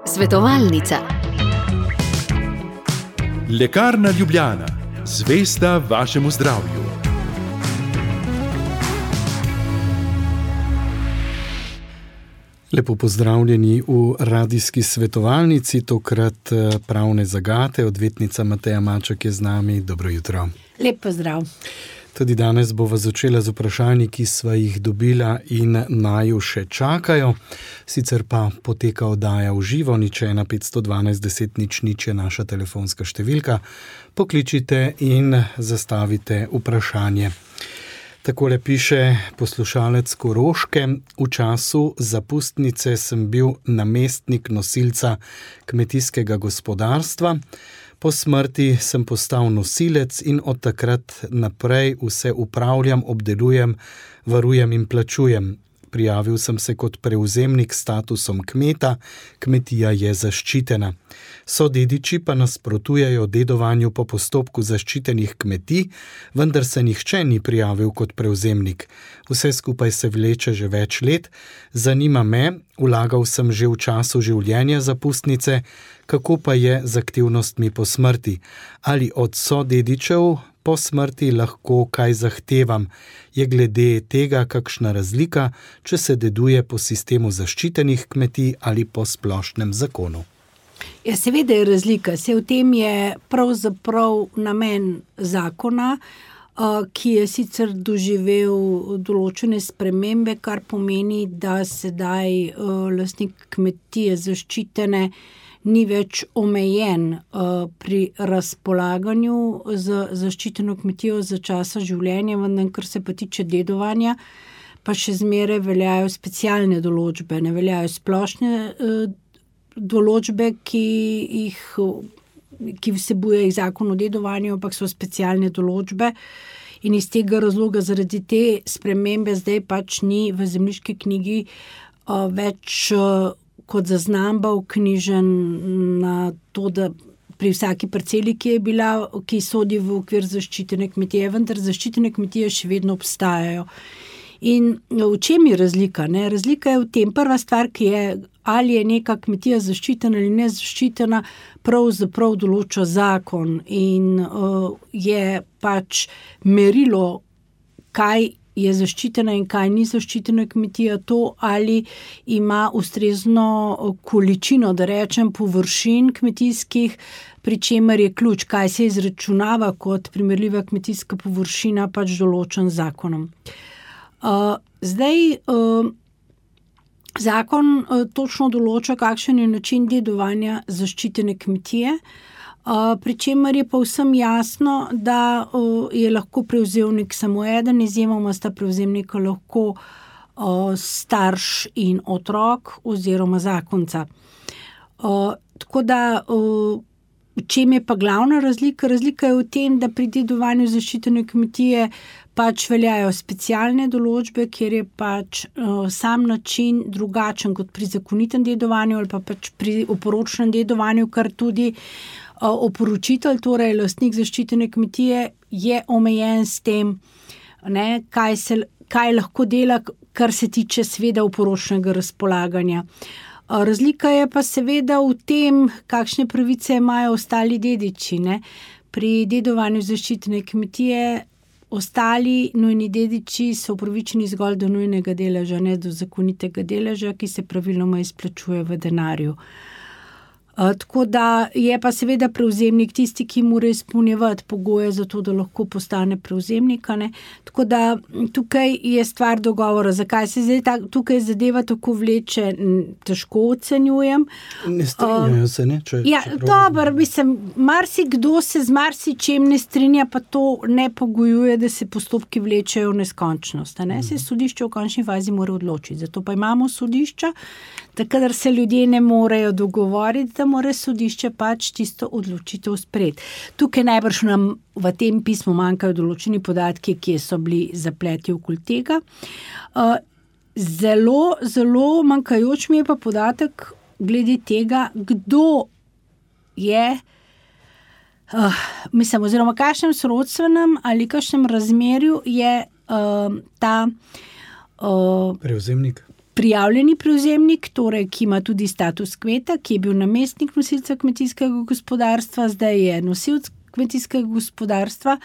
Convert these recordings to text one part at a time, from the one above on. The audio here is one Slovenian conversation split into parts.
Svetovalnica. Lekarna Ljubljana, zvesta vašemu zdravju. Lepo pozdravljeni v radijski svetovalnici, tokrat pravne zagate. Odvetnica Mateja Maček je z nami. Dobro jutro. Lep pozdrav. Tudi danes bova začela z vprašanji, ki sva jih dobila in naju še čakajo. Sicer pa poteka oddaja v živo, 01512 10 00 je naša telefonska številka. Pokličite in zastavite vprašanje. Takole piše poslušalec Koroške. V času zapustnice sem bil namestnik nosilca kmetijskega gospodarstva. Po smrti sem postal nosilec in od takrat naprej vse upravljam, obdelujem, varujem in plačujem. Prijavil sem se kot prevzemnik s statusom kmeta, kmetija je zaščitena. Sodediči pa nasprotujejo dedovanju po postopku zaščitenih kmetij, vendar se nihče ni prijavil kot prevzemnik. Vse skupaj se vleče že več let. Zanima me, vlagal sem že v času življenja zapustnice, kako pa je z aktivnostmi po smrti? Ali od sodedičev po smrti lahko kaj zahtevam? Je glede tega kakšna razlika, če se deduje po sistemu zaščitenih kmetij ali po splošnem zakonu? Ja, seveda je razlika. V tem je pravzaprav namen zakona, ki je sicer doživel določene spremembe, kar pomeni, da sedaj lastnik kmetije zaščitene ni več omejen pri razpolaganju z zaščiteno kmetijo za časa življenja, vendar kar se pa tiče dedovanja, pa še zmeraj veljajo specialne določbe, ne veljajo splošne določbe, ki vsebuje jih zakon o dedovanju, ampak so specialne določbe. In iz tega razloga, zaradi te spremembe, zdaj pač ni v zemljiški knjigi več kot zaznamba vknjižen na to, da pri vsaki parceli, ki sodi v okvir zaščitene kmetije, vendar zaščitene kmetije še vedno obstajajo. In v čem je razlika? Razlika je v tem, prva stvar, ki je, ali je neka kmetija zaščitena ali nezaščitena, pravzaprav določa zakon in je pač merilo, kaj je zaščitena in kaj ni zaščitena kmetija, to, ali ima ustrezno količino, da rečem, površin kmetijskih, pri čemer je ključ, kaj se izračunava kot primerljiva kmetijska površina, pač določen zakonom. Zakon točno določa, kakšen je način dedovanja zaščitene kmetije, pri čemer je povsem jasno, da je lahko prevzemnik samo eden, izjemoma sta prevzemnika lahko starš in otrok oziroma zakonca. Tako da, v čem je pa glavna razlika? Razlika je v tem, da pri dedovanju zaščitene kmetije pač veljajo specialne določbe, kjer je pač sam način drugačen kot pri zakonitem dedovanju ali pa pač pri oporočnem dedovanju, kar tudi oporočitelj, torej lastnik zaščitene kmetije, je omejen s tem, kaj lahko dela, kar se tiče seveda oporočnega razpolaganja. Razlika je pa seveda v tem, kakšne pravice imajo ostali dediči. Pri dedovanju zaščitene kmetije ostali nujni dediči so upravičeni zgolj do nujnega deleža, ne do zakonitega deleža, ki se praviloma izplačuje v denarju. Tako da je pa seveda prevzemnik tisti, ki mora izpolnjevati pogoje za to, da lahko postane prevzemnik. Tako da tukaj je stvar dogovora. Zakaj se zdaj tukaj zadeva tako vleče, težko ocenjujem. Ne strinjajo se, ne? Dobro, marsikdo se z marsičem ne strinja, pa to ne pogojuje, da se postopki vlečejo v neskončnost. Se sodišče v končni fazi mora odločiti. Zato pa imamo sodišča, da kadar se ljudje ne morejo dogovoriti, da mora sodišče pač tisto odločitev sprejeti. Tukaj najbrž nam v tem pismu manjkajo določeni podatki, kje so bili zapleti okoli tega. Zelo, zelo manjkajoč mi je pa podatek glede tega, kdo je, oziroma kakšnem sorodstvenem ali kakšnem razmerju je ta prevzemnik. prijavljeni prevzemnik, torej, ki ima tudi status kmeta, ki je bil namestnik nosilca kmetijskega gospodarstva, zdaj je nosilc kmetijskega gospodarstva,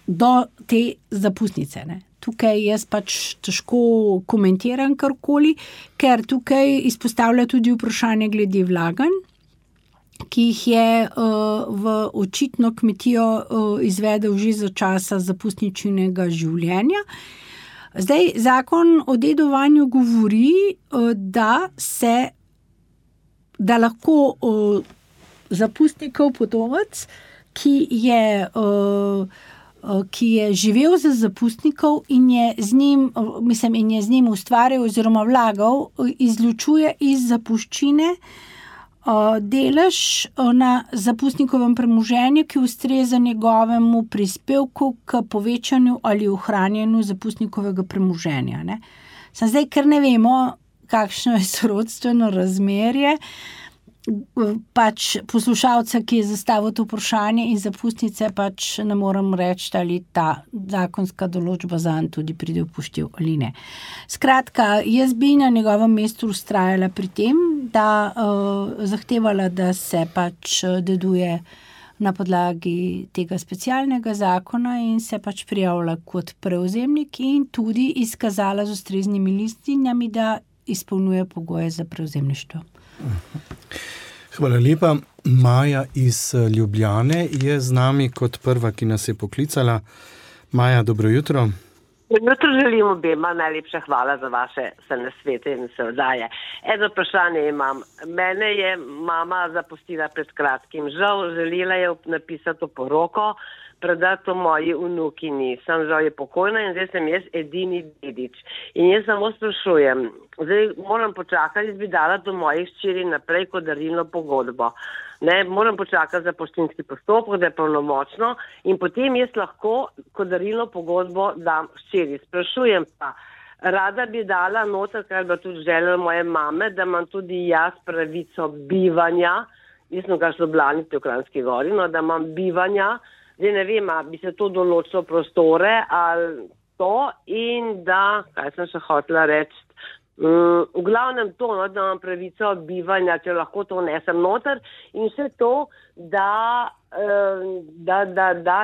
do te zapustnice, ne. Tukaj jaz pač težko komentiram karkoli, ker tukaj izpostavlja tudi vprašanje glede vlaganj, ki jih je v očitno kmetijo izvedel že za časa zapustničinega življenja. Zdaj, zakon o dedovanju govori, da lahko zapustnikov potomec, ki je živel za zapustnikov in je z njim ustvarjal oziroma vlagal, izločuje iz zapuščine delež na zapustnikovem premoženju, ki ustreza njegovemu prispevku k povečanju ali ohranjanju zapustnikovega premoženja. Ne? Zdaj, ker ne vemo, kakšno je sorodstveno razmerje, pač poslušalca, ki je zastavil to vprašanje in zapustnice, pač ne morem reči, ali ta zakonska določba zanj tudi pride v poštev ali ne. Skratka, jaz bi na njegovem mestu vztrajala pri tem, da zahtevala, da se pač deduje na podlagi tega specialnega zakona in se pač prijavila kot prevzemnik in tudi izkazala z ustreznimi listinami, da izpolnjuje pogoje za prevzemništvo. Hvala lepa. Maja iz Ljubljane je z nami kot prva, ki nas je poklicala. Maja, dobro jutro. Jutro želim obema, najlepša hvala za vaše nasvete in se oddaje. Eno vprašanje imam. Mene je mama zapustila pred kratkim. Žal, želela je napisati poroko, predati to moji vnukini. Žal je pokojna in zdaj sem jaz edini dedič. In jaz samo sprašujem, zdaj moram počakati, jaz bi dala do mojih hčeri naprej kot darilno pogodbo. Ne, moram počakati za poštinski postopek, da je polnomočno in potem jaz lahko kot darilno pogodbo dam hčeri. Sprašujem pa, rada bi dala noter, kar bi tudi želela moje mame, da imam tudi jaz pravico bivanja, jaz sem kar so Blanite v Kranjski Gori, no, da imam bivanja, zdaj ne vem, bi se to določilo prostore ali to in da, kaj sem še hotela reči, v glavnem to, no, da imam pravico bivanja, če lahko to vnesem noter in še to, da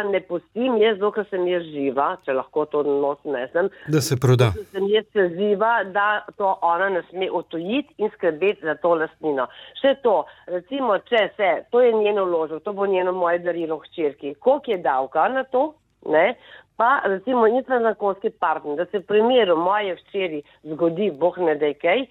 ne pustim jaz, dokler sem jaz živa, če lahko to not vnesem. Da se proda. Dokler sem jaz živa, da to ona ne sme odtujiti in skrbeti za to lastnino. Še to, recimo, to je njeno vložek, to bo njeno moje darilo hčerki. Koliko je davka na to, ne? Pa recimo zakonski partner, da se v primeru moje hčeri zgodi, Bog ne daj kaj,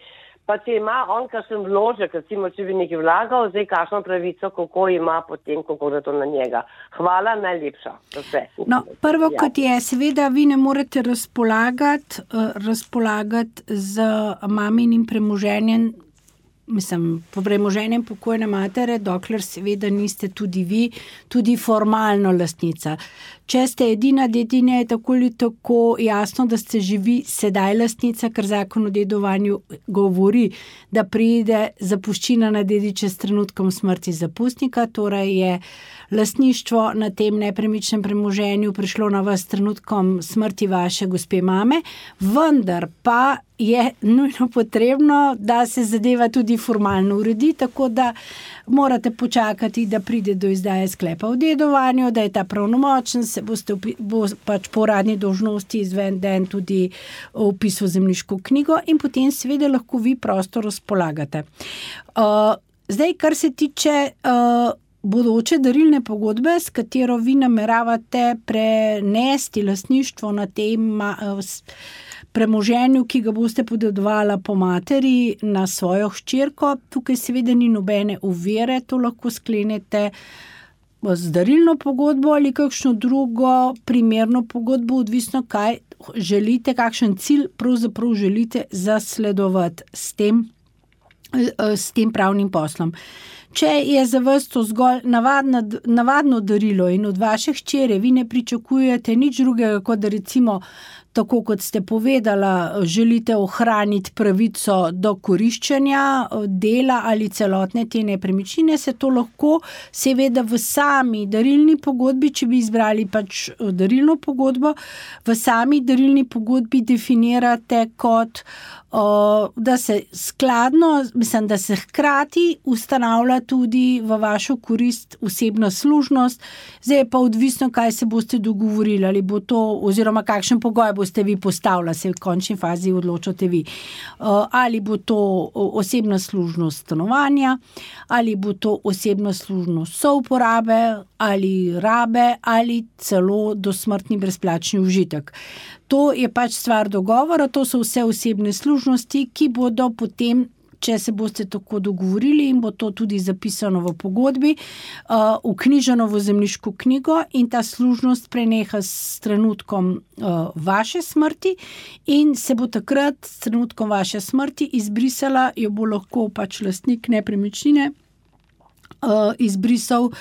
pa če ima on kakšen vložek, recimo če bi nekaj vlagal, zdaj kakšno pravico, kako ima potem, kako je to na njega. Hvala, najlepša. Vse. No, prvo, kot je, seveda vi ne morete razpolagati z maminim premoženjem, po premoženjem pokojne matere, dokler seveda niste tudi vi, tudi formalno lastnica. Če ste edina dedinja, je tako ali tako jasno, da ste že vi sedaj lastnica, ker zakon o dedovanju govori, da pride zapuščina na dediče s trenutkom smrti zapustnika, torej je lastništvo na tem nepremičnem premoženju prišlo na vas s trenutkom smrti vaše gospe mame, vendar pa je nujno potrebno, da se zadeva tudi formalno uredi, tako da morate počakati, da pride do izdaje sklepa o dedovanju, da je ta pravnomočen, bo pač po uradni dolžnosti izveden tudi vpis v zemljiško knjigo in potem seveda lahko vi prosto razpolagate. Zdaj, kar se tiče bodoče darilne pogodbe, s katero vi nameravate prenesti lastništvo na tem premoženju, ki ga boste podedovala po materi na svojo hčerko, tukaj seveda ni nobene ovire, to lahko sklenete z darilno pogodbo ali kakšno drugo primerno pogodbo, odvisno kaj želite, kakšen cilj pravzaprav želite zasledovati s tem pravnim poslom. Če je za vas to zgolj navadno darilo in od vaše hčere vi ne pričakujete nič drugega, kot da recimo tako kot ste povedala, želite ohraniti pravico do koriščenja dela ali celotne te nepremičnine, se to lahko seveda v sami darilni pogodbi, če bi izbrali pač darilno pogodbo, v sami darilni pogodbi definirate kot, da se da se hkrati ustanavlja tudi v vašo korist osebna služnost. Zdaj je pa odvisno, kaj se boste dogovorili, ali bo to, oziroma kakšen pogoj boste vi postavili, se v končni fazi odločate vi. Ali bo to osebna služnost stanovanja, ali bo to osebna služnost souporabe, ali rabe, ali celo dosmrtni brezplačni užitek. To je pač stvar dogovora, to so vse osebne služnosti, ki bodo potem, če se boste tako dogovorili in bo to tudi zapisano v pogodbi, vknjiženo v zemljiško knjigo in ta služnost preneha s trenutkom vaše smrti in se bo takrat s trenutkom vaše smrti izbrisala, jo bo lahko pač lastnik nepremičnine izbrisal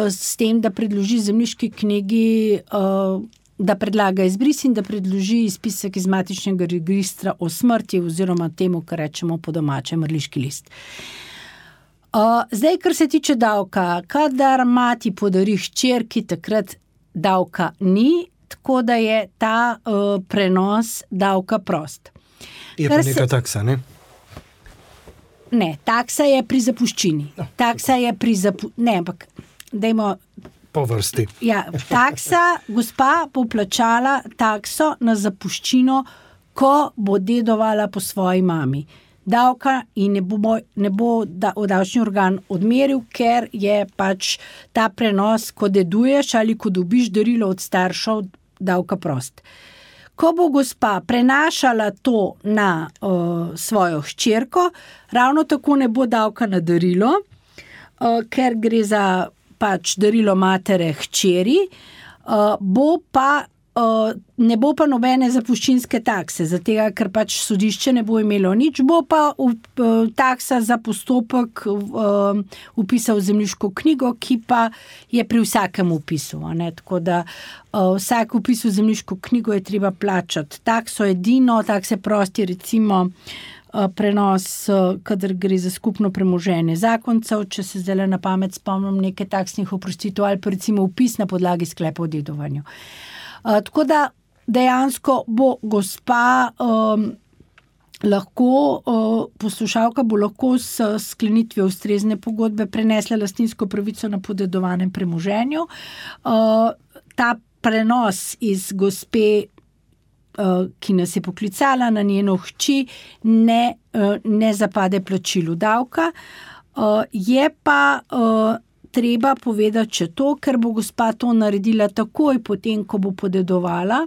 s tem, da predloži zemljiški knjigi, da predlaga izbris in da predloži izpisek iz matičnega registra o smrti oziroma temu, kar rečemo po domače, mrliški list. Zdaj, kar se tiče davka, kadar mati podari hčerki, takrat davka ni, tako da je ta prenos davka prost. Je pa neka taksa, ne? Ne, taksa je pri zapuščini. Taksa je pri ne, ampak dajmo po vrsti. Ja, taksa, gospa bo plačala takso na zapuščino, ko bo dedovala po svoji mami. Davka in ne bo davčni organ odmeril, ker je pač ta prenos, ko deduješ ali ko dobiš darilo od staršev, davka prost. Ko bo gospa prenašala to na svojo hčerko, ravno tako ne bo davka na darilo, ker gre za pač darilo matere hčeri, ne bo pa nobene zapuščinske takse, zato ker pač sodišče ne bo imelo nič, bo pa taksa za postopek vpisa v zemljiško knjigo, ki pa je pri vsakem vpisu. Tako da vsak vpis v zemljiško knjigo je treba plačati takso edino, takse prosti recimo prenos, kadar gre za skupno premoženje zakoncev, če se zdaj na pamet spomnim nekaj taksnih oprostitev ali pa recimo vpis na podlagi sklepa o dedovanju. Tako da dejansko bo gospa lahko, poslušalka bo lahko s sklenitvijo ustrezne pogodbe prenesla lastninsko pravico na podedovanem premoženju. Ta prenos iz gospe, ki nas je poklicala na njeno hči, ne zapade plačilu davka. Je pa treba povedati še to, ker bo gospa to naredila takoj potem, ko bo podedovala,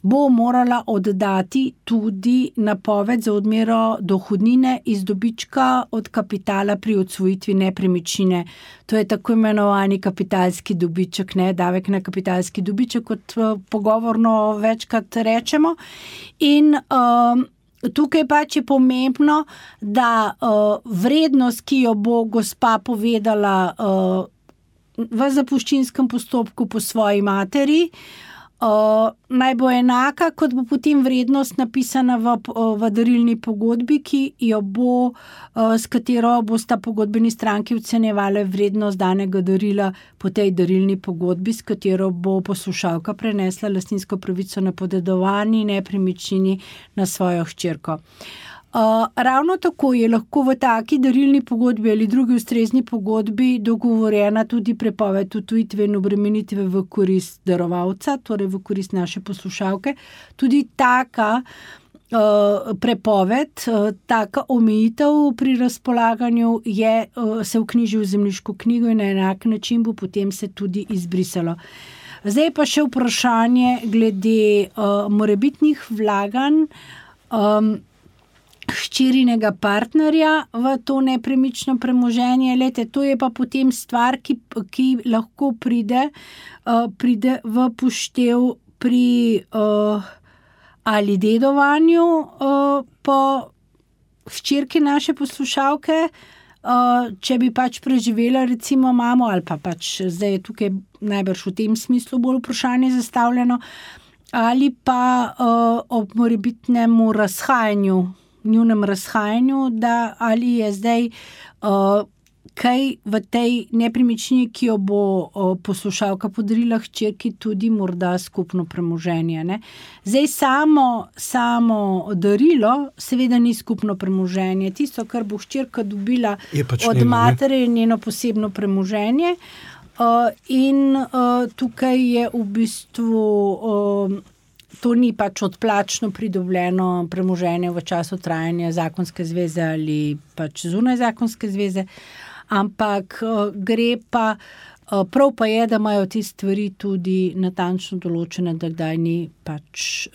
bo morala oddati tudi napoved za odmero dohodnine iz dobička od kapitala pri odsvojitvi nepremičnine. To je tako imenovani kapitalski dobiček, ne, davek na kapitalski dobiček, kot pogovorno večkrat rečemo. In tukaj pač je pomembno, da vrednost, ki jo bo gospa povedala v zapuščinskem postopku po svoji materi, naj bo enaka, kot bo potem vrednost napisana v darilni pogodbi, ki jo bo, s katero bosta pogodbeni stranki ocenjevali vrednost danega darila po tej darilni pogodbi, s katero bo poslušalka prenesla lastninsko pravico na podedovani nepremičnini na svojo hčerko. Ravno tako je lahko v taki darilni pogodbi ali drugi ustrezni pogodbi dogovorjena tudi prepoved odtujitve in obremenitve v korist darovalca, torej v korist naše poslušalke. Tudi taka prepoved, taka omejitev pri razpolaganju se vknjiži v zemljiško knjigo in na enak način bo potem se tudi izbrisalo. Zdaj pa še vprašanje glede morebitnih vlaganj hčerinega partnerja v to nepremično premoženje. Lejte, to je pa potem stvar, ki lahko pride v poštev pri ali dedovanju po hčerki naše poslušalke, če bi pač preživela recimo mamo, ali pa pač zdaj je tukaj najbrž v tem smislu bolj vprašanje zastavljeno, ali pa ob morebitnemu njunem razhajanju, da ali je zdaj kaj v tej nepremičnini, ki jo bo poslušalka podarila hčerki, tudi morda skupno premoženje. Ne? Zdaj samo darilo seveda ni skupno premoženje. Tisto, kar bo hčerka dobila od matere, je njeno posebno premoženje. In tukaj je v bistvu to ni pač odplačno pridobljeno premoženje v času trajanja zakonske zveze ali pač zunaj zakonske zveze, ampak gre pa, prav pa je, da imajo te stvari tudi natančno določene, da kdaj ni pač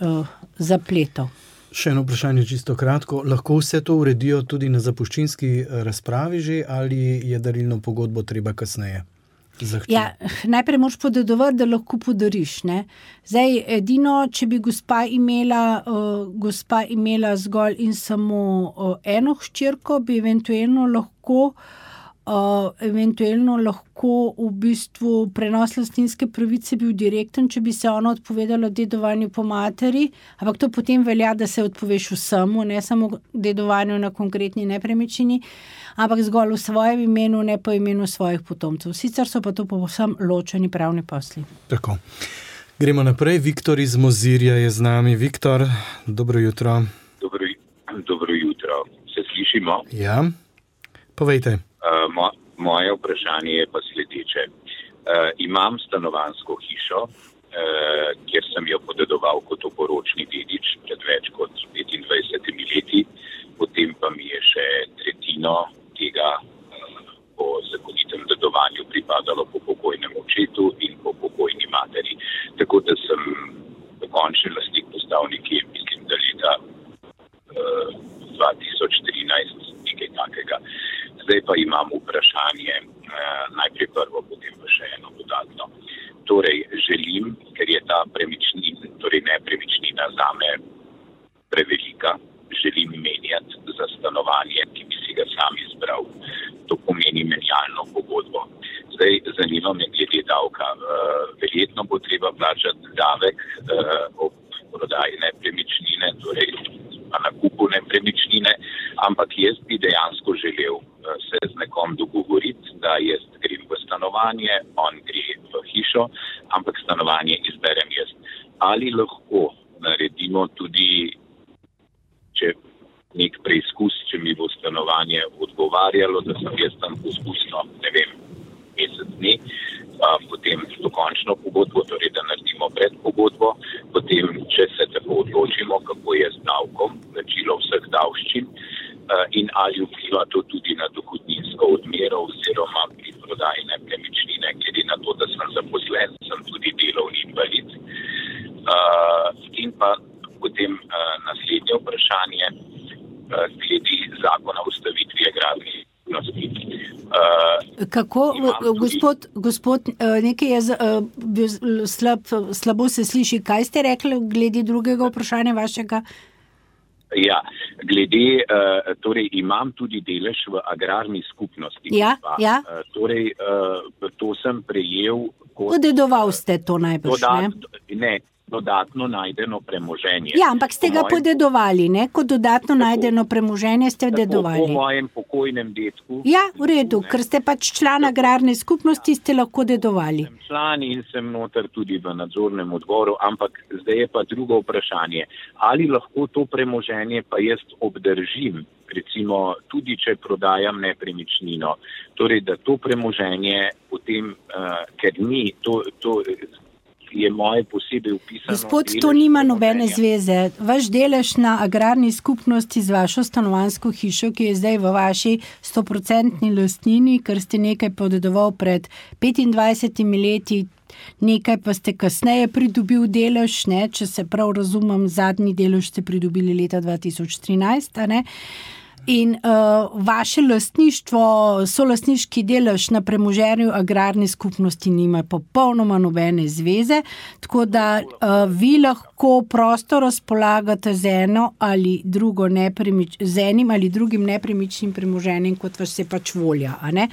zapletov. Še eno vprašanje čisto kratko. Lahko vse to uredijo tudi na zapuščinski razpravi že ali je darilno pogodbo treba kasneje? Ja, najprej moraš podedovati, da lahko podariš. Ne? Zdaj, edino, če bi gospa imela zgolj in samo eno hčerko, bi eventualno lahko v bistvu prenos lastninske pravice bil direkten, če bi se ona odpovedala dedovanju po materi, ampak to potem velja, da se odpoveš vsemu, ne samo dedovanju na konkretni nepremičnini, ampak zgolj v svojem imenu, ne pa imenu svojih potomcev. Sicer so pa to povsem ločeni pravni posli. Tako. Gremo naprej. Viktor iz Mozirja je z nami. Viktor, dobro jutro. Dobro jutro. Se slišimo? Ja. Povejte. Moje vprašanje je pa sledeče. Imam stanovanjsko hišo, kjer sem jo podedoval kot oporočni dedič pred več kot 25 leti, potem pa mi je še tretjino tega po zakonitem dedovanju pripadalo po pokojnem očetu in po pokojni materi. Tako da sem dokončen lastnik postal nekje, mislim, da leta 2013, nekaj takega. Zdaj pa imam vprašanje, najprej prvo, potem pa še eno dodatno. Torej, želim, ker je ta nepremičnina zame prevelika, želim menjati za stanovanje, ki bi si ga sam izbral. To pomeni menjalno pogodbo. Zdaj, zanima me glede davka. Verjetno bo treba plačati davek ob prodaji nepremičnine, torej na nakupu nepremičnine, ampak jaz bi dejansko želel se z nekom dogovoriti, da jaz grem v stanovanje, on gre v hišo, ampak stanovanje izberem jaz. Ali lahko naredimo tudi, če nek preizkus, če mi bo stanovanje odgovarjalo, da sem jaz tam poskusno, mesec dni, potem dokončno pogodbo, torej da naredimo predpogodbo, potem, če se tako odločimo, kako je z davkom, plačilo vseh davščin in ali vpliva to tudi na dohodninsko odmero oziroma pri prodaji nepremičnine, glede na to, da sem zaposlen, sem tudi delovni invalid. In pa potem naslednje vprašanje, glede zakona o ustavitvi agrarnih skupnosti. Kako, gospod, nekaj je slabo se sliši. Kaj ste rekli glede drugega vprašanja vašega? Ja, glede, torej imam tudi delež v agrarni skupnosti. Ja. Torej, to sem prejel kot... Podedoval ste to najbrž, ne? Dodatno najdeno premoženje. Ja, ampak ste ga podedovali, ne? Kot dodatno najdeno premoženje ste dedovali. Po mojem pokojnem dedku. Ja, v redu, ker ste pač član agrarne skupnosti, ste lahko dedovali. Sem član in sem noter tudi v nadzornem odboru, ampak zdaj je pa drugo vprašanje. Ali lahko to premoženje pa jaz obdržim, recimo tudi, če prodajam nepremičnino. Torej, da to premoženje potem, ker ni to je moje posebej upisano. Gospod, to nima nobene zveze. Vaš delež na agrarni skupnosti z vašo stanovanjsko hišo, ki je zdaj v vaši 100% lastnini, ker ste nekaj podedoval pred 25 leti, nekaj pa ste kasneje pridobil delež, ne? Če se prav razumem, zadnji delež ste pridobili leta 2013, a ne? In vaše lastništvo, solastniški delež na premoženju agrarne skupnosti nima popolnoma nobene zveze, tako da vi lahko prosto razpolagate z enim ali drugim nepremičnim premoženjem, kot vas je pač volja. A ne?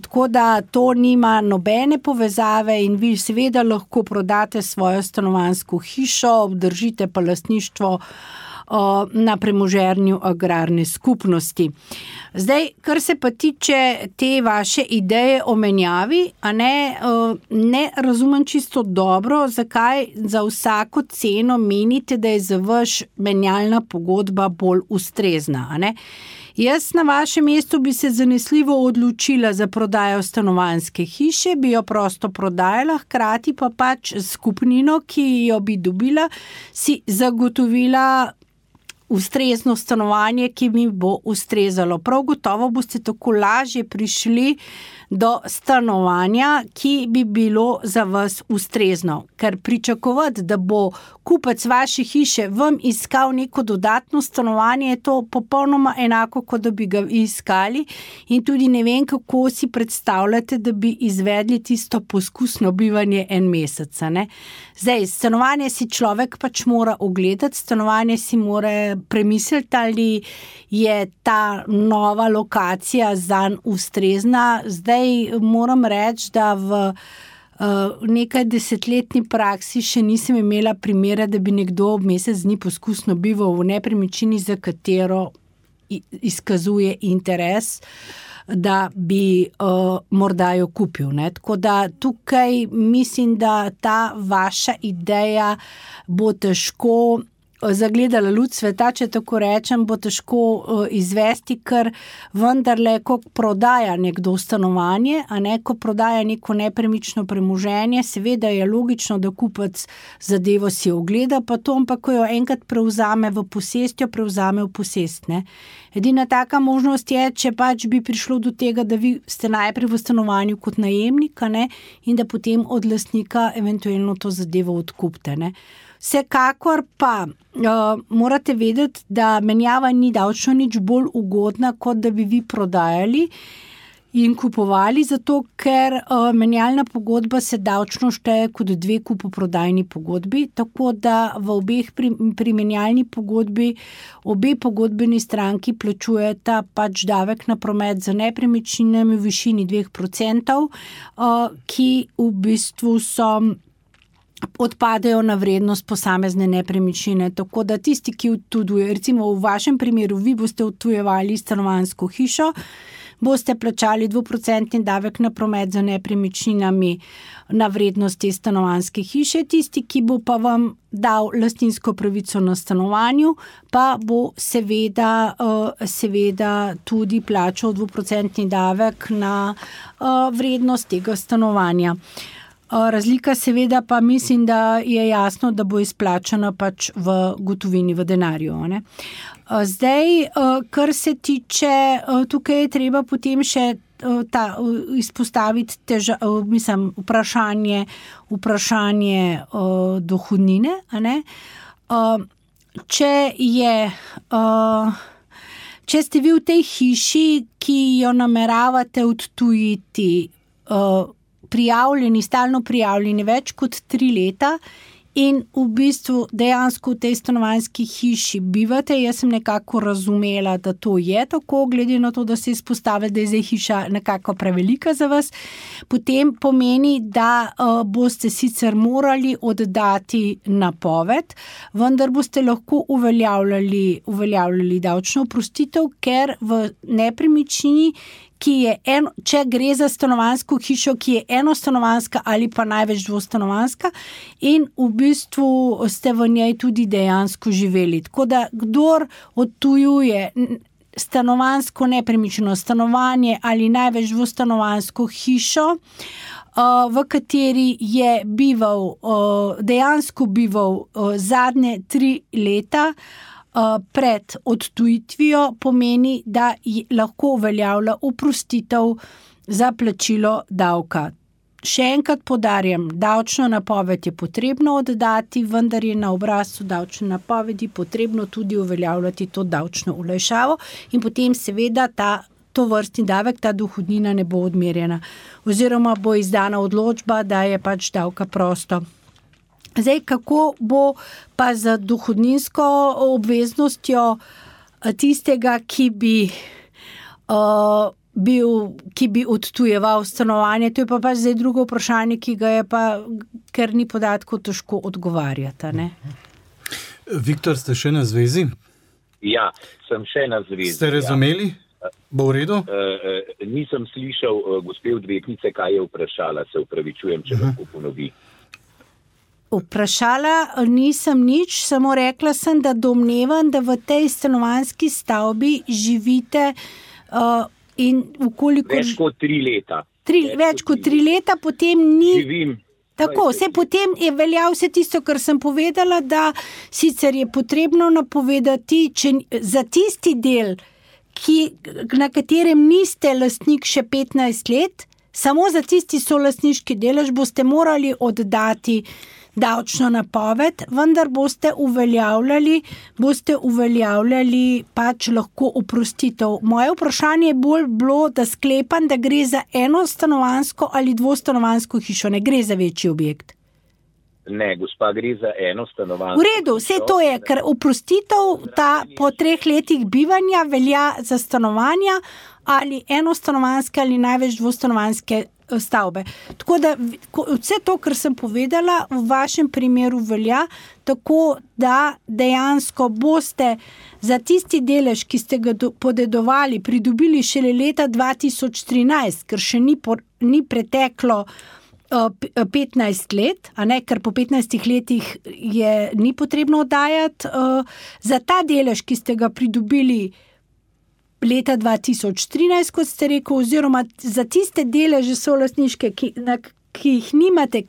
Tako da to nima nobene povezave in vi seveda lahko prodate svojo stanovanjsko hišo, obdržite pa lastništvo na premoženju agrarne skupnosti. Zdaj, kar se pa tiče te vaše ideje o menjavi, ne razumem čisto dobro, zakaj za vsako ceno menite, da je za vaš menjalna pogodba bolj ustrezna, Jaz na vašem mestu bi se zanesljivo odločila za prodajo stanovanjske hiše, bi jo prosto prodajala, hkrati pa pač skupnino, ki jo bi dobila, si zagotovila ustrezno stanovanje, ki mi bo ustrezalo. Prav gotovo boste tako lažje prišli do stanovanja, ki bi bilo za vas ustrezno. Ker pričakovati, da bo kupec vaše hiše vam iskal neko dodatno stanovanje, je to popolnoma enako, kot da bi ga iskali in tudi ne vem, kako si predstavljate, da bi izvedli tisto poskusno bivanje en mesec. Zdaj, stanovanje si človek pač mora ogledati, stanovanje si mora premisliti, ali je ta nova lokacija zanj ustrezna. Zdaj moram reči, da v nekaj desetletni praksi še nisem imela primera, da bi nekdo mesec dni poskusno bival v nepremičnini, za katero izkazuje interes, da bi morda jo kupil. Tako da tukaj mislim, da ta vaša ideja bo težko zagledala luč sveta, če tako rečem, bo težko izvesti, ker vendarle, ko prodaja nekdo stanovanje, ko prodaja neko nepremično premoženje, seveda je logično, da kupec zadevo si ogleda, pa to, ampak ko jo enkrat prevzame v posest, jo prevzame v posest. Edina taka možnost je, če pač bi prišlo do tega, da vi ste najprej v stanovanju kot najemnik, in da potem od lastnika eventualno to zadevo odkupite. Vsekakor pa morate vedeti, da menjava ni davčno nič bolj ugodna, kot da bi vi prodajali in kupovali, zato ker menjalna pogodba se davčno šteje kot 2 kupoprodajni pogodbi, tako da v obeh pri menjalni pogodbi obe pogodbeni stranki plačujeta pač davek na promet za nepremičninami v višini 2%, ki v bistvu odpadejo na vrednost posamezne nepremičnine. Tako da tisti, ki odtujuje, recimo v vašem primeru, vi boste odtujevali stanovanjsko hišo, boste plačali 2% davek na promet za nepremičninami na vrednost te stanovanjske hiše. Tisti, ki bo pa vam dal lastninsko pravico na stanovanju, pa bo seveda tudi plačal 2% davek na vrednost tega stanovanja. Razlika seveda pa mislim, da je jasno, da bo izplačana pač v gotovini, v denarju. Zdaj, kar se tiče, tukaj je treba potem še izpostaviti vprašanje dohodnine. Če ste vi v tej hiši, ki jo nameravate odtujiti, stalno prijavljeni več kot 3 leta in v bistvu dejansko v tej stanovanjski hiši bivate, jaz sem nekako razumela, da to je tako, glede na to, da se izpostavlja, da je zdaj hiša nekako prevelika za vas, potem pomeni, da boste sicer morali oddati napoved, vendar boste lahko uveljavljali davčno oprostitev, ker v nepremičnini, če gre za stanovanjsko hišo, ki je enostanovanjska ali pa največ dvostanovanjska in v bistvu ste v njej tudi dejansko živeli. Tako da, kdor odtujuje stanovanjsko nepremičnino stanovanje ali največ dvostanovanjsko hišo, v kateri je dejansko bival zadnje 3 leta, pred odtujitvijo, pomeni, da lahko uveljavlja oprostitev za plačilo davka. Še enkrat poudarjam, davčno napoved je potrebno oddati, vendar je na obrazcu davčne napovedi potrebno tudi uveljavljati to davčno olajšavo in potem seveda to vrstni davek, ta dohodnina ne bo odmerjena. Oziroma bo izdana odločba, da je pač davka prosto. Zdaj, kako bo pa z dohodninsko obveznostjo tistega, ki bi ki bi odtujeval stanovanje. To je pa pač zdaj drugo vprašanje, ki ga je pa, ker ni podatkov, težko odgovarjati. Ne? Viktor, ste še na zvezi? Ja, sem še na zvezi. Ste razumeli? Bo v redu? Nisem slišal gospe odvetnice, kaj je vprašala, se upravičujem, če lahko ponovi. Vprašala nisem nič, samo rekla sem, da domnevam, da v tej stanovanjski stavbi živite in vkoliko... Več kot 3 leta. Več kot 3 leta, potem ni... Živim. Tako, potem je veljal vse tisto, kar sem povedala, da sicer je potrebno napovedati, če za tisti del, na katerem niste lastnik še 15 let, samo za tisti solastniški delež boste morali oddati davčno napoved, vendar boste uveljavljali pač lahko oprostitev. Moje vprašanje je bolj bilo, da sklepam, da gre za enostanovanjsko ali dvostanovanjsko hišo, ne gre za večji objekt. Ne, gospa, gre za enostanovanjsko. V redu, vse to je, ker oprostitev ta po 3 letih bivanja velja za stanovanja ali enostanovanjske ali največ dvostanovanjske stavbe. Tako da vse to, kar sem povedala, v vašem primeru velja, tako da dejansko boste za tisti delež, ki ste ga podedovali, pridobili šele leta 2013, ker še ni preteklo 15 let, a ne, ker po 15 letih ni potrebno oddajati. Za ta delež, ki ste ga pridobili leta 2013, kot ste rekel, oziroma za tiste deleže solastniške, ki jih nimate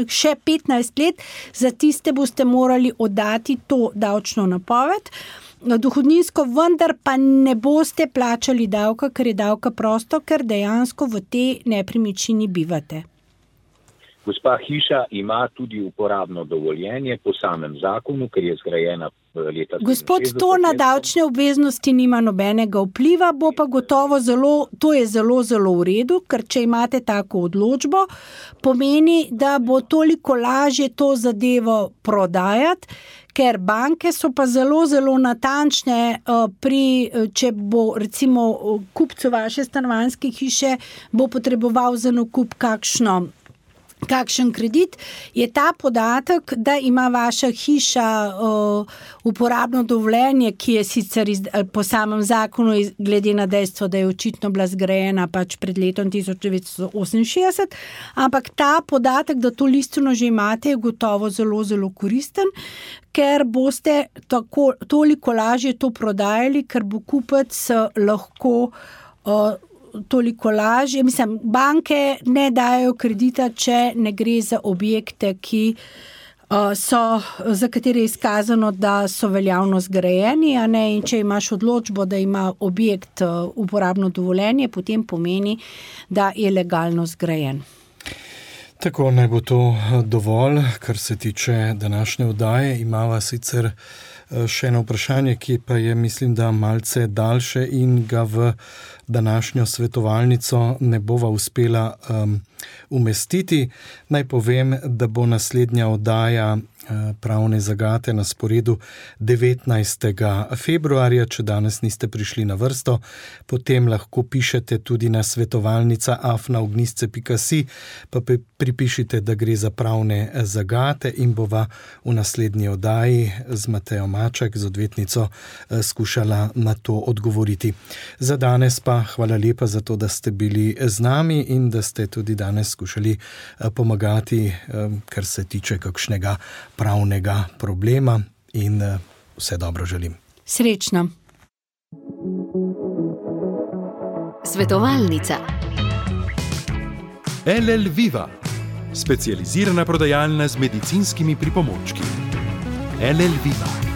še 15 let, za tiste boste morali oddati to davčno napoved. Dohodninsko vendar pa ne boste plačali davka, ker je davka prosto, ker dejansko v tej nepremičnini bivate. Gospa, hiša ima tudi uporabno dovoljenje po samem zakonu, ker je zgrajena leta 1967. Gospod, to na davčne obveznosti nima nobenega vpliva, bo pa gotovo to je zelo, zelo v redu, ker če imate tako odločbo, pomeni, da bo toliko lažje to zadevo prodajati, ker banke so pa zelo, zelo natančne če bo recimo kupcu vaše stanovanjske hiše bo potreboval za nakup kakšen kredit, je ta podatek, da ima vaša hiša uporabno dovoljenje, ki je sicer po samem zakonu, glede na dejstvo, da je očitno bila zgrajena pač pred letom 1968, ampak ta podatek, da to listino že imate, je gotovo zelo, zelo koristen, ker boste toliko lažje to prodajali, ker bo kupec lahko toliko lažje. Mislim, banke ne dajo kredita, če ne gre za objekte, za katere je izkazano, da so veljavno zgrajeni, a ne, in če imaš odločbo, da ima objekt uporabno dovoljenje, potem pomeni, da je legalno zgrajen. Tako, naj bo to dovolj, kar se tiče današnje oddaje. Imava sicer še eno vprašanje, ki pa je, mislim, da malce daljše in ga v današnjo svetovalnico ne bova uspela umestiti. Naj povem, da bo naslednja oddaja pravne zagate na sporedu 19. februarja, če danes niste prišli na vrsto, potem lahko pišete tudi na svetovalnica@ognistce.si, pa pripišite, da gre za pravne zagate in bova v naslednji oddaji z Matejo Maček, z odvetnico, skušala na to odgovoriti. Za danes pa hvala lepa za to, da ste bili z nami in da ste tudi danes skušali pomagati, kar se tiče kakšnega pravnega problema, in vse dobro želim. Srečno. Svetovalnica. LL Viva, specializirana prodajalna z medicinskimi pripomočki. LL Viva.